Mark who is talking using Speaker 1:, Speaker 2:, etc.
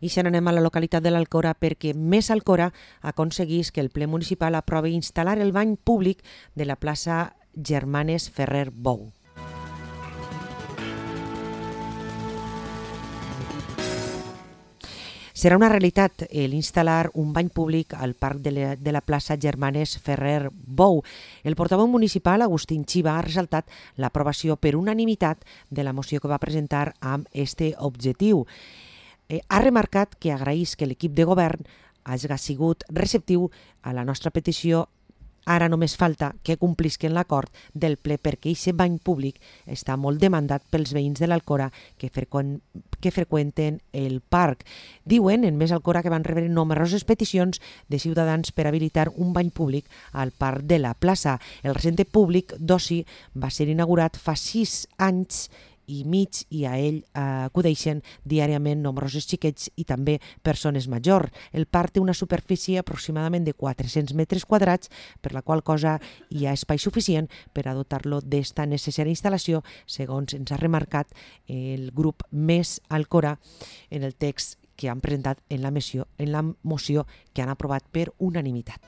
Speaker 1: I se n'anem a la localitat de l'Alcora perquè Més Alcora aconseguís que el ple municipal aprovi instal·lar el bany públic de la plaça Germanes Ferrer Bou. Serà una realitat l'instal·lar un bany públic al parc de la plaça Germanes Ferrer Bou. El portaveu municipal, Agustín Chiva, ha ressaltat l'aprovació per unanimitat de la moció que va presentar amb este objectiu. Ha remarcat que agraeix que l'equip de govern hagi sigut receptiu a la nostra petició. Ara només falta que complisquen l'acord del ple perquè aquest bany públic està molt demandat pels veïns de l'Alcora que freqüenten el parc. Diuen en Més Alcora que van rebre nombroses peticions de ciutadans per habilitar un bany públic al parc de la plaça. El recinte públic d'oci va ser inaugurat fa 6 anys i mig i a ell acudeixen diàriament nombrosos xiquets i també persones majors. El parc té una superfície aproximadament de 400 metres quadrats, per la qual cosa hi ha espai suficient per a dotar-lo d'esta necessària instal·lació, segons ens ha remarcat el grup Més Alcora en el text que han presentat en la moció que han aprovat per unanimitat.